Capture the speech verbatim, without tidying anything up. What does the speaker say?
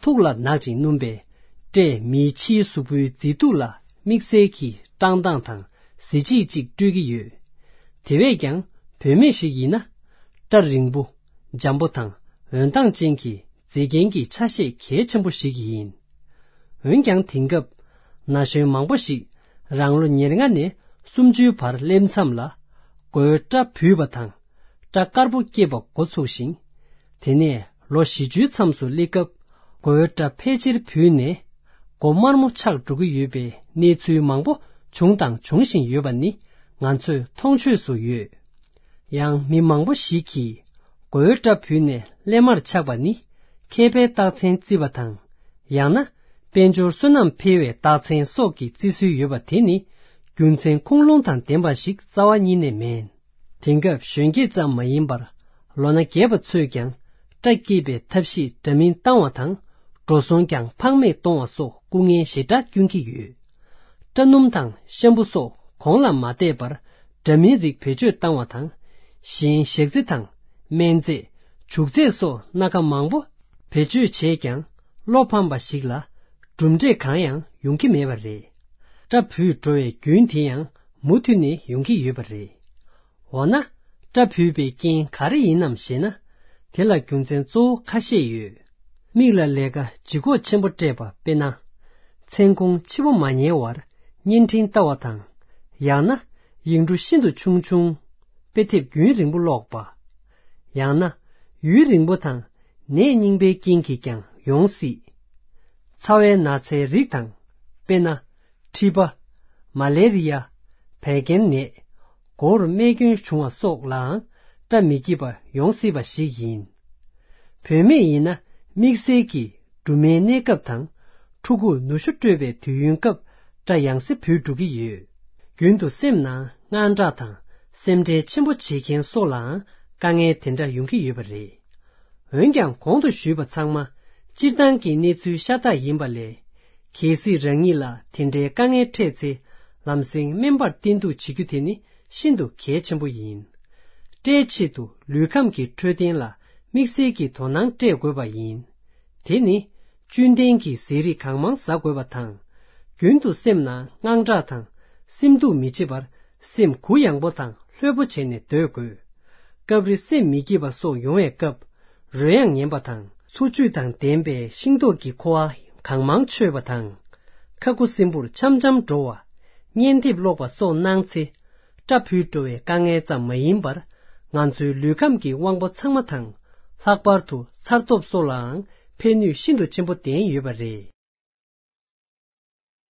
ཐུགས་ལ་ནག་ཅིང་སྣུམ་པས། སྐྲས་མིའི་ཕྱིའི་གཟུགས་པོའི་མཛེས་སྡུག་ལ་དམིགས་བསལ་གྱི་བཀྲག་མདངས་དང་གཟི་བརྗིད་ཅིག་སྤྲོད་ཀྱི་ཡོད། དེ་བས་ཀྱང་བུད་མེད་ཞིག་ཡིན་ན། སྐྲ་རིང་པོ། འཇམ་པོ་དང་འོད་མདངས་ཅན་གྱི་མཛེས་རྒྱན་གྱི་ཆ་ཤས་གལ་ཆེན་པོ་ཞིག་ཡིན། འོན་ཀྱང་དེང་སྐབས་ན་གཞོན་མང་པོ་ཞིག་རང་ལོ་ཉེར་ལྔ་ནས་སུམ་ཅུའི་བར་སླེབས་མཚམས་ལ་མགོའི་སྐྲ་བུད་པ་དང་། སྐྲ་དཀར་པོ་སྐྱེས་པ་འགོ་ཚུགས་ཤིང་། དེ་ནས་ལོ་བཞི་བཅུའི་མཚམས་སུ་སླེབས་སྐབས་མགོའི་སྐྲ་ཕལ་ཆེར་བུད་ནས་མགོ་དམར་མོ་ཆགས་འགྲོ་གི་ཡོད་པའི་གནས་ཚུལ་མང་པོ་བྱུང་དང་འབྱུང་བཞིན་ཡོད་པ་ནི་ང་ཚོས་མཐོང་ཆོས་སུ་ཡོད། ཡང་མི་མང་པོ་ཞིག་གིས་མགོའི་སྐྲ་བུད་ནས་སླེབས་མར་ཆགས་པ་ནི་མཁས་པའི་རྟགས་མཚན་བརྩི་བ་དང་། ཡང་ན་དཔལ་འབྱོར་བསོད་ནམས་འཕེལ་བའི་རྟགས་མཚན་སོགས་ཀྱི་བརྩི་སྲོལ་ཡོད་པ་དེ་ནི་རྒྱུ་མཚན་ཁུངས་ལུང་དང་ལྡན་པ་ཞིག་རྩ་བ་ཉིད་ནས་མེད། དེང་སྐབས་གཞོན་སྐྱེས་ཙམ་མ་ཡིན་པར་ལོ་ན་རྒས་པ་ཚོས་ཀྱང་སྐྲ་སྐྱེས་པའི་ཐབས་ཤེས་འདྲ་མིན་བཏང་བ་དང་འགྲོ་སོང་ཀྱང་ཕངས་མེད་གཏོང་བ་སོགས་སྐུ་ངལ་ཞེ་དྲག་སྐྱོན་གྱི་ཡོད། སྐྲ་སྣུམ་དང་ཤམ་བུ་སོགས་གོང་ལ་མ་བལྟས་པར་འདྲ་མིན་རིགས་བེད་སྤྱོད་བཏང་བ་དང་། གཞན་ཞག་རྫི་དང་སྨན་རྫས། བྱུག་རྫས་སོགས་སྣ་ཁ་མང་པོ་བེད་སྤྱོད་བྱས་ཀྱང་བློ་ཕམ་པ་ཞིག་ལ་གྲུབ་འབྲས་གང་ཡང་ཡོང་གི་མེད་པ་རེད། སྐྲ་བུད་འགྲོ་བའི་རྒྱུན་དེ་ཡང་མུ་མཐུད་ནས་ཡོང་གི་ཡོད་པ་རེད། འོ་ན། སྐྲ་བུད་པའི་རྐྱེན་ག་རེ་ཡིན་ནམ་ཞེ་ན། དེ་ལ་རྒྱུ་མཚན་གཙོ་བོ་ཁ་ཤས་ཡོད། མིག་ལ་ལས་ཀ་ལྗིད་ཁོག་ཆེན་པོ་སྤྲད་པ། དཔེར་ན། མཚན་གུང་ཕྱི་པོ་མ་ཉལ་བར་བརྙན་འཕྲིན་ལྟ་བ་དང་། ཡང་ན་ཡིག་འབྲུ་ཤིན་ཏུ་ཆུང་ཆུང་དཔེ་དེབ་རྒྱུན་རིང་པོ་ཀློག་པ། ཡང་ན་ཡུན་རིང་པོ་དང་ནད་རྙིང་པའི་རྐྱེན་གྱིས་ཀྱང་ཡོང་སྲིད། ཚ་བའི་ན་ཚའི་རིགས་དང་། དཔེར་ན། མཁྲིས་པ། མ་ལེ་རི་ཡ། བད་ཀན་ནད། མགོ་བོར་རྨས་སྐྱོན་བྱུང་བ་སོགས་ལའང་སྐྲ་མི་སྐྱིད་པ་ཡོང་སྲིད་པ་ཞིག་ཡིན། བུད་མེད་ཡིན་ན་དམིགས་བསལ་གྱིས་སྦྲུམ་མའི་གནས་སྐབས་དང་། ཕྲུ་གུར་ནུ་ཞོ་སྤྲོད་པའི་དུས་ཡུན་སྐབས་སྐྲ་ཡང་སེ་བུད་འགྲོ་གི་ཡོད། རྒྱུན་དུ་སེམས་ནང་དངངས་སྐྲག་དང་སེམས་ཁྲལ་ཆེན་པོ་བྱེད་མཁན་སོགས་ལའང་དཀའ་ངལ་དེ་འདྲ་ཡོང་གི་ཡོད་པ་རེད། འོན་ཀྱང་གོང་དུ་ཞུས་པ་ཚང་མ་སྤྱིར་བཏང་གི་གནས་ཚུལ་ཤ་སྟག་ཡིན་པ་ལས། གལ་སྲིད་རང་ཉིད་ལ་དེ་འདྲའི་དཀའ་ངལ་འཕྲད་ཚེ་ལམ་སེང་སྨན་པར་བསྟེན་གཏུག་བྱེད་རྒྱུ་དེ་ནི་ཤིན་ཏུ་གལ་ཆེན་པོ་ཡིན། སྐྲའི་ཆེད་དུ་ལུས་ཁམས་ཀྱི་འཕྲོད་བསྟེན་ལ་དམིགས་བསལ་གྱི་དོ་སྣང་སྤྲད་དགོས་པ་ཡིན། དེ་ནི་བཅུད་ལྡན་གྱི་ཟས་རིགས་གང་མང་ཟ་དགོས་པ་དང་། རྒྱུན་དུ་སེམས་ནང་དངངས་སྐྲག་དང་སེམས་སྡུག་མི་བྱེད་པར་སེམས་གུ་ཡངས་པོ་དང་ལྷོད་པོ་བྱས་ནས་སྡོད་དགོས། སྐབས་རེ་སེམས་མི་སྐྱིད་པ་སོགས་ཡོང་བའི་སྐབས། རོལ་དབྱངས་ཉན་པ་དང་། འཚོ་བཅུད་དང་ལྡན་པའི་ཤིང་ཏོག་གི་ཁུ་བ་གང་མང་མཆོད་པ་དང་། ཁ་ཁུ་སིམ་པོར་འཆམ་འཆམ་འགྲོ་བ། བརྙན་དེབ་ཀློག་པ་སོགས་གནང་ཚེ། སྐྲ་བུད་འགྲོ་བའི་དཀའ་ངལ་ཙམ་མ་ཡིན་པར། ང་ཚོའི་ལུས་ཁམས་ཀྱི་དབང་པོ་ཚང་མ་དང་། ལྷག་པར་དུ་ཚ་སྟོབས་སོགས་ལའང་ཕན་ནུས་ཤིན་ཏུ་ཆེན་པོ་ལྡན་ཡོད་པ་རེད།